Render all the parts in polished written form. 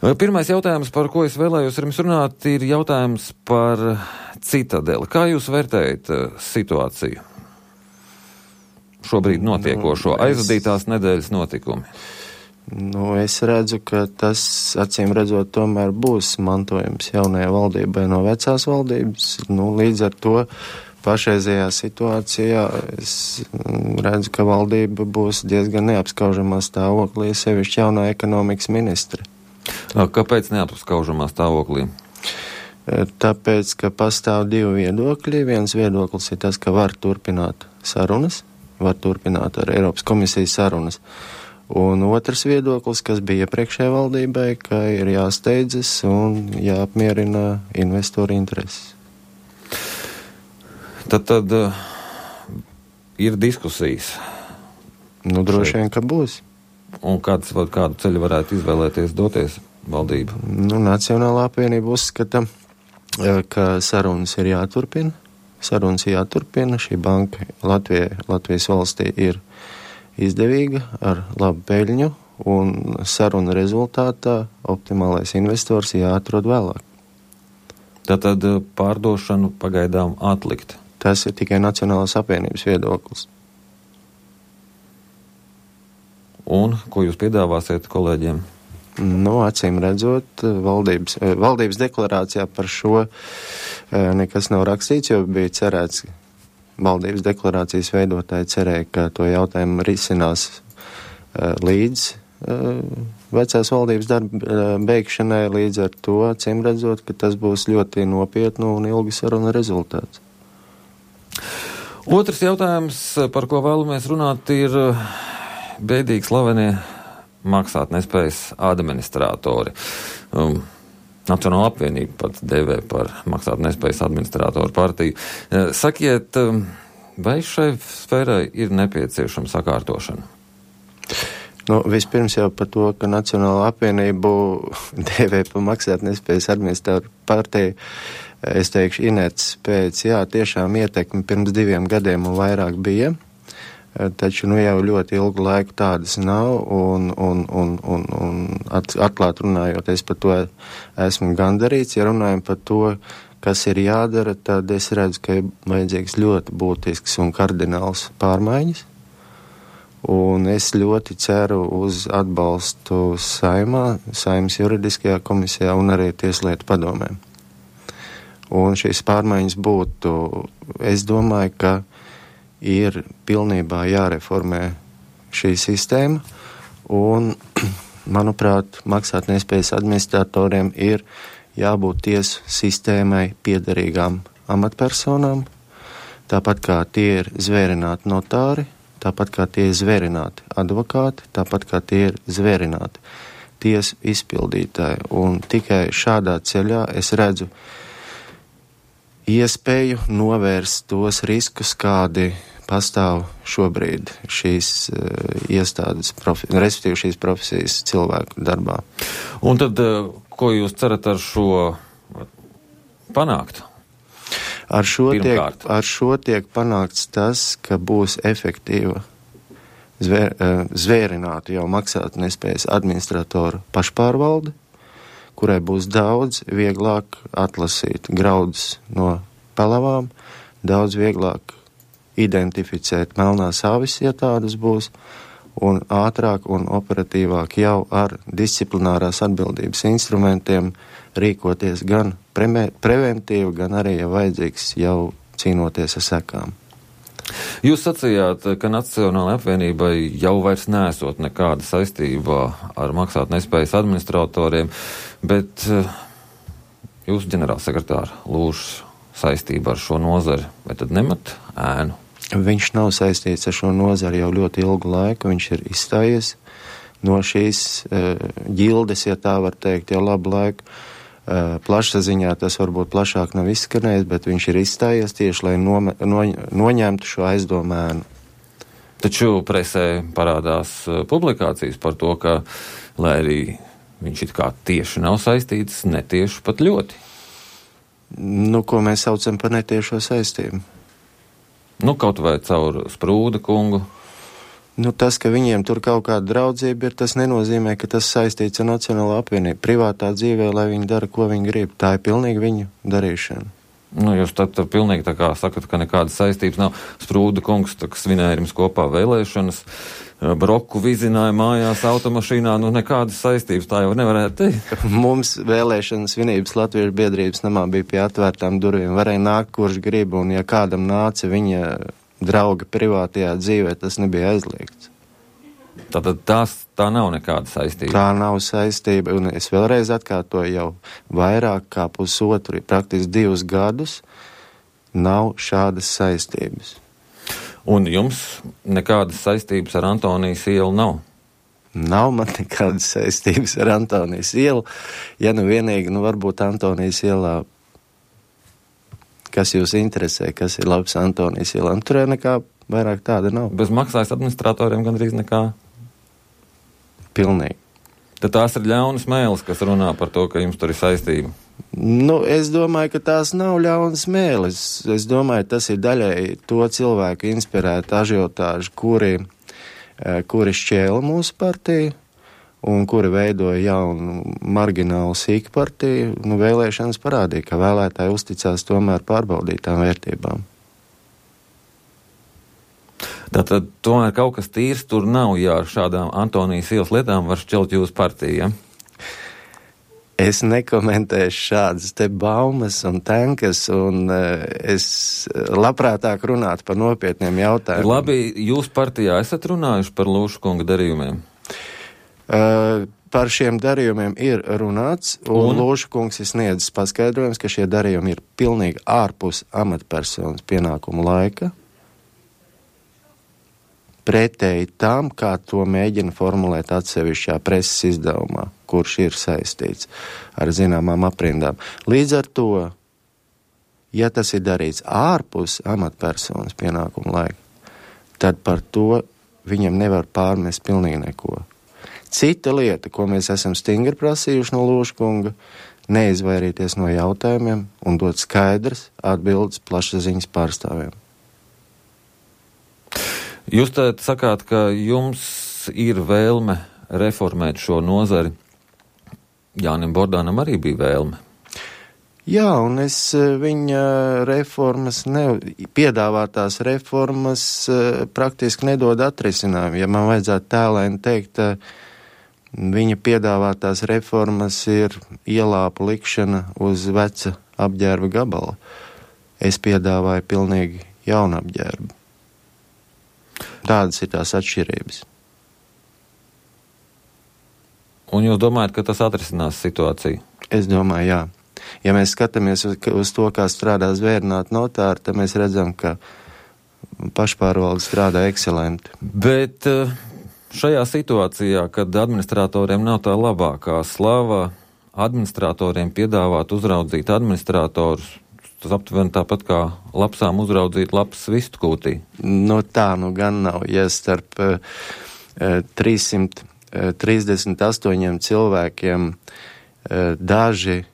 Pirmais jautājums, par ko es vēlējos ar jums runāt, ir jautājums par Citadeli. Kā jūs vērtējat situāciju? Šobrīd notiekošo aizvadītās nedēļas notikumi. Es redzu, ka tas, acīm redzot, tomēr būs mantojums jaunajai valdībai no vecās valdības. Līdz ar to pašreizējā situācijā es redzu, ka valdība būs diezgan neapskaužamā stāvoklī, sevišķi jaunā ekonomikas ministre. Kāpēc neapskaužamā stāvoklī? Tāpēc, ka pastāv divi viedokļi. Viens viedoklis ir tas, ka var turpināt sarunas, var turpināt ar Eiropas komisijas sarunas. Un otrs viedoklis, kas bija iepriekšējai valdībai, ka ir jāsteidzas un jāapmierina investoru intereses. Tad ir diskusijas. Droši vien, ka būs. Un kādu ceļu varētu izvēlēties doties valdība? Nacionālā apvienība uzskata, ka sarunas ir jāturpina. Šī banka Latvijas valstī ir izdevīga ar labu peļņu, un saruna rezultātā optimālais investors jāatrod vēlāk. Tātad pārdošanu pagaidām atlikt. Tas ir tikai Nacionālās apvienības viedoklis. Un ko jūs piedāvāsiet kolēģiem? Acīm redzot, valdības deklarācijā par šo nekas nav rakstīts, jo bija cerēts, valdības deklarācijas veidotāji cerēja, ka to jautājumu risinās līdz vecās valdības darba beigšanai, līdz ar to, acīm redzot, ka tas būs ļoti nopietnu un ilgu sarunu rezultāts. Otrs jautājums, par ko vēlamies runāt, ir bēdīgi slavenie maksātnespējas administratori. Nacionāla apvienība pat dēvē par maksātnespējas administratoru partiju. Sakiet, vai šai sfērai ir nepieciešama sakārtošana? Vispirms jau par to, ka Nacionāla apvienību dēvē par maksātnespējas administratoru partiju, es teikšu, inerces pēc, tiešām ietekmi pirms 2 gadiem un vairāk bija. Taču jau ļoti ilgu laiku tādas nav, un atklāt runājot, es par to esmu gandarīts. Ja runājam par to, kas ir jādara, tad es redzu, ka ir vajadzīgs ļoti būtisks un kardināls pārmaiņas. Un es ļoti ceru uz atbalstu Saeimas juridiskajā komisijā un arī Tieslietu padomē. Un šīs pārmaiņas būtu, es domāju, ka ir pilnībā jāreformē šī sistēma, un, manuprāt, maksātnespējas administratoriem ir jābūt tiesu sistēmai piederīgām amatpersonām, tāpat kā tie ir zvērināti notāri, tāpat kā tie ir zvērināti advokāti, tāpat kā tie ir zvērināti tiesu izpildītāji. Un tikai šādā ceļā es redzu iespēju novērst tos riskus, kādi pastāv šobrīd šīs iestādes, respektīvi šīs profesijas cilvēku darbā. Un tad, ko jūs cerat ar šo panākt? Ar šo tiek panākts tas, ka būs efektīva zvērināta jau maksātnespējas administratoru pašpārvalde, kurai būs daudz vieglāk atlasīt graudus no pelavām, daudz vieglāk identificēt melnās avis, ja tādas būs, un ātrāk un operatīvāk jau ar disciplinārās atbildības instrumentiem rīkoties gan preventīvi, gan arī, ja vajadzīgs, jau cīnoties ar sekām. Jūs sacījāt, ka Nacionālajai apvienībai jau vairs nesot nekāda saistībā ar maksātnespējas administratoriem, bet jūsu ģenerālsekretāra Lūžs saistība ar šo nozari, vai tad nemat ēnu? Viņš nav saistīts ar šo nozari jau ļoti ilgu laiku, viņš ir izstājies no šīs ģildes, ja tā var teikt, jau labu laiku. Plašsaziņā tas varbūt plašāk nav izskanējis, bet viņš ir izstājies tieši, lai noņemtu šo aizdomu ēnu. Taču presē parādās publikācijas par to, ka, lai arī viņš it kā tieši nav saistīts, netieši pat ļoti. Ko mēs saucam par netiešo saistību? Kaut vai caur Sprūda kungu. Nu, tas, ka viņiem tur kaut kāda draudzība ir, tas nenozīmē, ka tas saistīts ar Nacionālo apvienību. Privātā dzīvē, lai viņi dara, ko viņi grib. Tā ir pilnīgi viņu darīšana. Nu, jūs tad pilnīgi tā kā sakat, ka nekādas saistības nav. Sprūda kungs, tā kā svinēja jums kopā vēlēšanas, broku vizināja mājās, automašīnā, nu nekādas saistības, tā jau nevarētu teikt. Mums vēlēšanas svinības Latviešu biedrības namā bija pie atvērtām durvīm. Varēja nākt, kurš grib, un ja kādam nāca viņa drauga privātajā dzīvē, tas nebija aizliegts. Tātad tā nav nekāda saistība. Tā nav saistība, un es vēlreiz atkārtoju, jau vairāk kā pusotru, praktiski 2 gadus nav šādas saistības. Un jums nekādas saistības ar Antonijas ielu nav? Nav man nekādas saistības ar Antonijas ielu. Ja nu vienīgi, varbūt Antonijas ielā, kas jūs interesē, kas ir labs Antonijas ielā, tur nekā vairāk tāda nav. Bez maksājas administratoriem gandrīz nekā? Pilnīgi. Tad tās ir ļaunas mēles, kas runā par to, ka jums tur ir saistība. Es domāju, ka tās nav ļaunas mēles. Es domāju, tas ir daļai to cilvēku inspirēta ažiotāžu, kuri šķēla mūsu partiju un kuri veidoja jaunu marginālu sīku partiju. Vēlēšanas parādīja, ka vēlētāji uzticās tomēr pārbaudītām vērtībām. Tātad tomēr kaut kas tīrs tur nav, ja ar šādām Antonijas ielas lietām var šķelt jūsu partiju, ja? Es nekomentēšu šādas te baumas un tenkas, un es labprātāk runātu par nopietniem jautājumiem. Labi, jūs partijā esat runājuši par Lūšu kunga darījumiem? Par šiem darījumiem ir runāts, un Lūšu kungs ir sniedzis paskaidrojums, ka šie darījumi ir pilnīgi ārpus amatpersonas pienākumu laika, pretēji tam, kā to mēģina formulēt atsevišķā preses izdevumā, kurš ir saistīts ar zināmām aprindām. Līdz ar to, ja tas ir darīts ārpus amatpersonas pienākumu laika, tad par to viņam nevar pārmest pilnīgi neko. Cita lieta, ko mēs esam stingri prasījuši no Lūša kunga, neizvairīties no jautājumiem un dot skaidras atbildes plašsaziņas pārstāvjiem. Jūs tad sakāt, ka jums ir vēlme reformēt šo nozari. Jānim Bordānam arī bija vēlme. Jā, un es viņa reformas, piedāvātās reformas praktiski nedod atrisinājumu. Ja man vajadzētu tēlēni teikt, viņa piedāvātās reformas ir ielāpu likšana uz veca apģērba gabala. Es piedāvāju pilnīgi jaunu apģērbu. Tādas ir tās atšķirības. Un jūs domājat, ka tas atrisinās situāciju? Es domāju, jā. Ja mēs skatāmies uz to, kā strādā zvērnāti notāri, tad mēs redzam, ka pašpārvalde strādā ekscelenti. Bet šajā situācijā, kad administratoriem nav tā labākā slava, administratoriem piedāvāt uzraudzīt administratorus, tas aptuveni tāpat kā lapsām uzraudzīt lapas vistu kūtī. Tā gan nav. Ja starp 338 cilvēkiem daži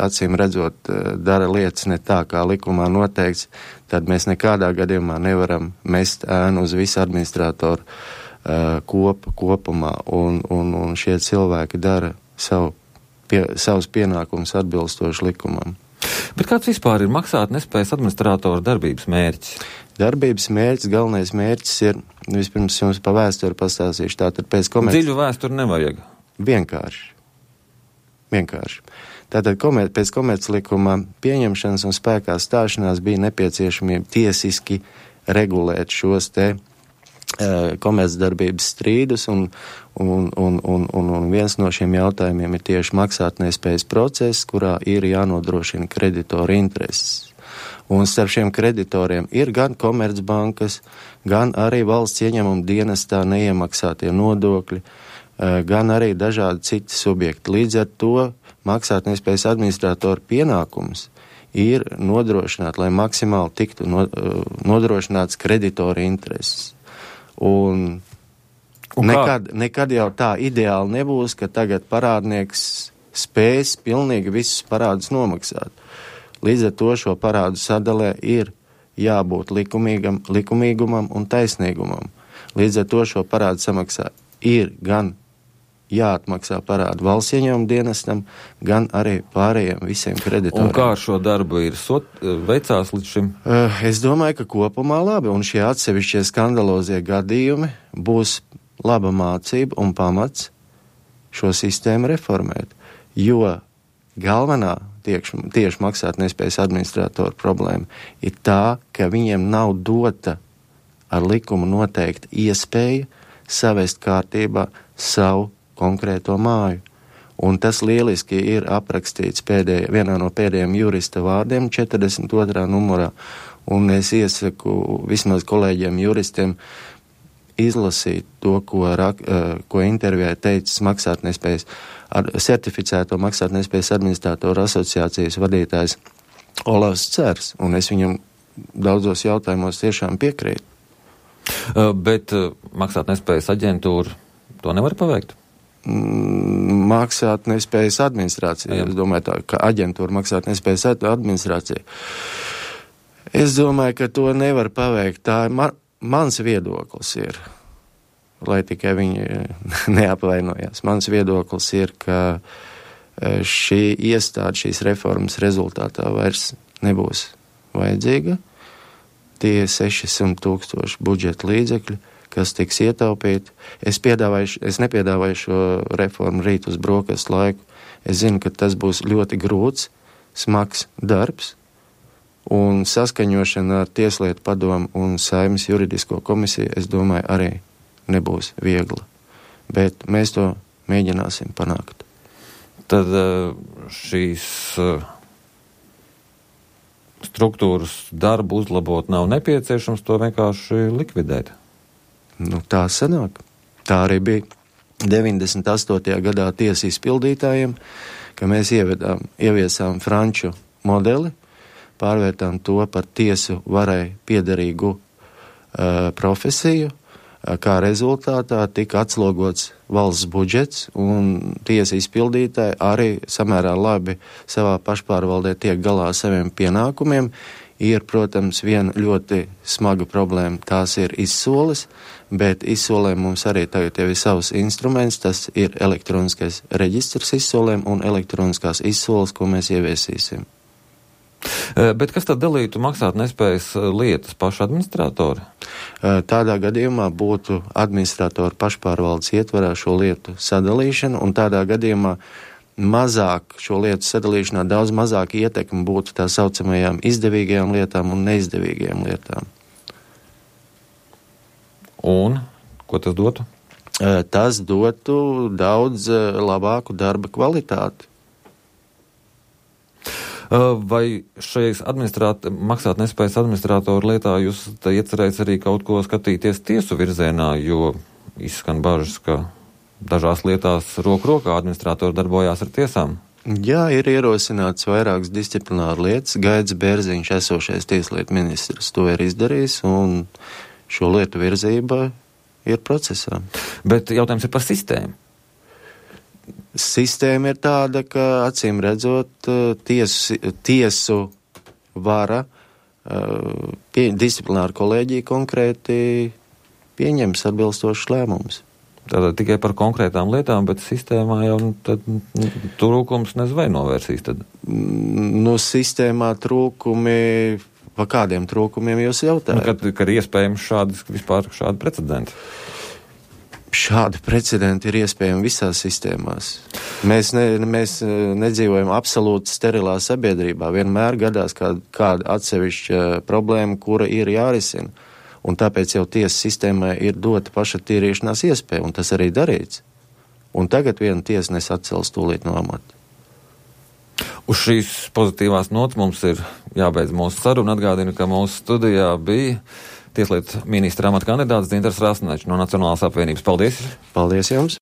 acīm redzot dara lietas ne tā, kā likumā noteikts, tad mēs nekādā gadījumā nevaram mest ēnu uz visu administratoru kopumā, un šie cilvēki dara savus pienākumus atbilstoši likumam. Bet kāds vispār ir maksāt nespējas administrātora darbības mērķis? Darbības mērķis, galvenais mērķis ir, vispirms jums pa vēsturi pastāstīšu, tātad pēc Dziļu vēsturi nevajag. Vienkārši. Tātad pēc komerclikuma pieņemšanas un spēkā stāšanās bija nepieciešamība tiesiski regulēt šos te komercdarbības strīdus, un viens no šiem jautājumiem ir tieši maksātnespējas process, kurā ir jānodrošina kreditoru intereses. Un starp šiem kreditoriem ir gan komercbankas, gan arī valsts ieņēmuma dienestā neiemaksātie nodokļi, gan arī dažādi citi subjekti. Līdz ar to maksātnespējas administrātora pienākums ir nodrošināt, lai maksimāli tiktu nodrošināts kreditoru intereses. Un nekad jau tā ideāli nebūs, ka tagad parādnieks spēs pilnīgi visus parādus nomaksāt. Līdz ar to šo parādu sadalē ir jābūt likumīgumam un taisnīgumam. Līdz ar to šo parādu samaksā ir gan jāatmaksā parādu valsts ieņēmuma dienestam, gan arī pārējiem visiem kreditoriem. Un kā ar šo darbu ir veicās līdz šim? Es domāju, ka kopumā labi, un šie atsevišķie skandalozie gadījumi būs laba mācība un pamats šo sistēmu reformēt, jo galvenā tieši maksātnespējas administratoru problēma ir tā, ka viņiem nav dota ar likumu noteikti iespēja savest kārtībā savu konkrēto māju. Un tas lieliski ir aprakstīts vienā no pēdējiem jurista vārdiem 42. numurā. Un es iesaku vismaz kolēģiem juristiem izlasīt to, ko intervijā teicis certificēto maksātnespējas administratoru asociācijas vadītājs Olavs Cers. Un es viņam daudzos jautājumos tiešām piekrītu. Bet maksātnespējas aģentūra to nevar paveikt? Maksātnespējas administrācija. Jā. Es domāju tā, ka aģentūra maksātnespējas administrācija. Es domāju, ka to nevar paveikt. Tā ir mans viedoklis ir, lai tikai viņi neapvainojās. Mans viedoklis ir, ka šī iestāde, šīs reformas rezultātā vairs nebūs vajadzīga. Tie 600,000 budžeta līdzekļi, kas tiks ietaupīti. Es nepiedāvāju šo reformu rīt uz brokastu laiku. Es zinu, ka tas būs ļoti grūts, smags darbs, un saskaņošana ar Tieslietu padomu un Saeimas juridisko komisiju, es domāju, arī nebūs viegla. Bet mēs to mēģināsim panākt. Tad šīs struktūras darbu uzlabot nav nepieciešams, to vienkārši likvidēt. Tā sanāk. Tā arī bija 98. gadā tiesu izpildītājiem, ka mēs ieviesām franču modeli, pārvērtām to par tiesu varai piederīgu profesiju, kā rezultātā tika atslogots valsts budžets, un tiesa izpildītāji arī samērā labi savā pašpārvaldē tiek galā ar saviem pienākumiem. Ir, protams, viena ļoti smaga problēma, tās ir izsoles, bet izsolēm mums arī tagad jau ir savs instruments, tas ir elektroniskais reģistrs izsolēm un elektroniskās izsoles, ko mēs ieviesīsim. Bet kas tad dalītu maksātnespējas lietas paši administratori? Tādā gadījumā būtu administratori pašpārvaldes ietvarā šo lietu sadalīšana, un tādā gadījumā mazāk šo lietu sadalīšanā daudz mazāk ietekme būtu tā saucamajām izdevīgajām lietām un neizdevīgajām lietām. Un ko tas dotu? Tas dotu daudz labāku darba kvalitāti. Vai šajās maksātnespējas administratoru lietā jūs iecerējat arī kaut ko skatīties tiesu virzienā, jo izskan bažas, ka dažās lietās roku rokā administratori darbojās ar tiesām? Jā, ir ierosināts vairākas disciplināru lietas. Gaidis Bērziņš, esošais tieslietu ministrs, to ir izdarījis, un šo lietu virzība ir procesā. Bet jautājums ir par sistēmu. Sistēma ir tāda, ka acīm redzot tiesu vara disciplināru kolēģiju konkrēti pieņems atbilstošus lēmumus. Tātad tikai par konkrētām lietām, bet sistēmā jau trūkums nezinu vai novērsīs tad? Sistēmā trūkumi, pa kādiem trūkumiem jūs jautājat? Kad iespējams šādi precedenti? Šādi precedenti ir iespējami visās sistēmās. Mēs nedzīvojam absolūti sterilā sabiedrībā. Vienmēr gadās kāda atsevišķa problēma, kura ir jārisina. Un tāpēc jau tiesas sistēmai ir dota pašattīrīšanās iespēja, un tas arī darīts. Un tagad viena tiesnes atcels tūlīt no amata. Uz šīs pozitīvās nots mums ir jābeidz mūsu saruna. Atgādinu, ka mūsu studijā bija Tieslietu ministra amata kandidāts Dzintars Rasnačs no Nacionālās apvienības. Paldies! Paldies jums!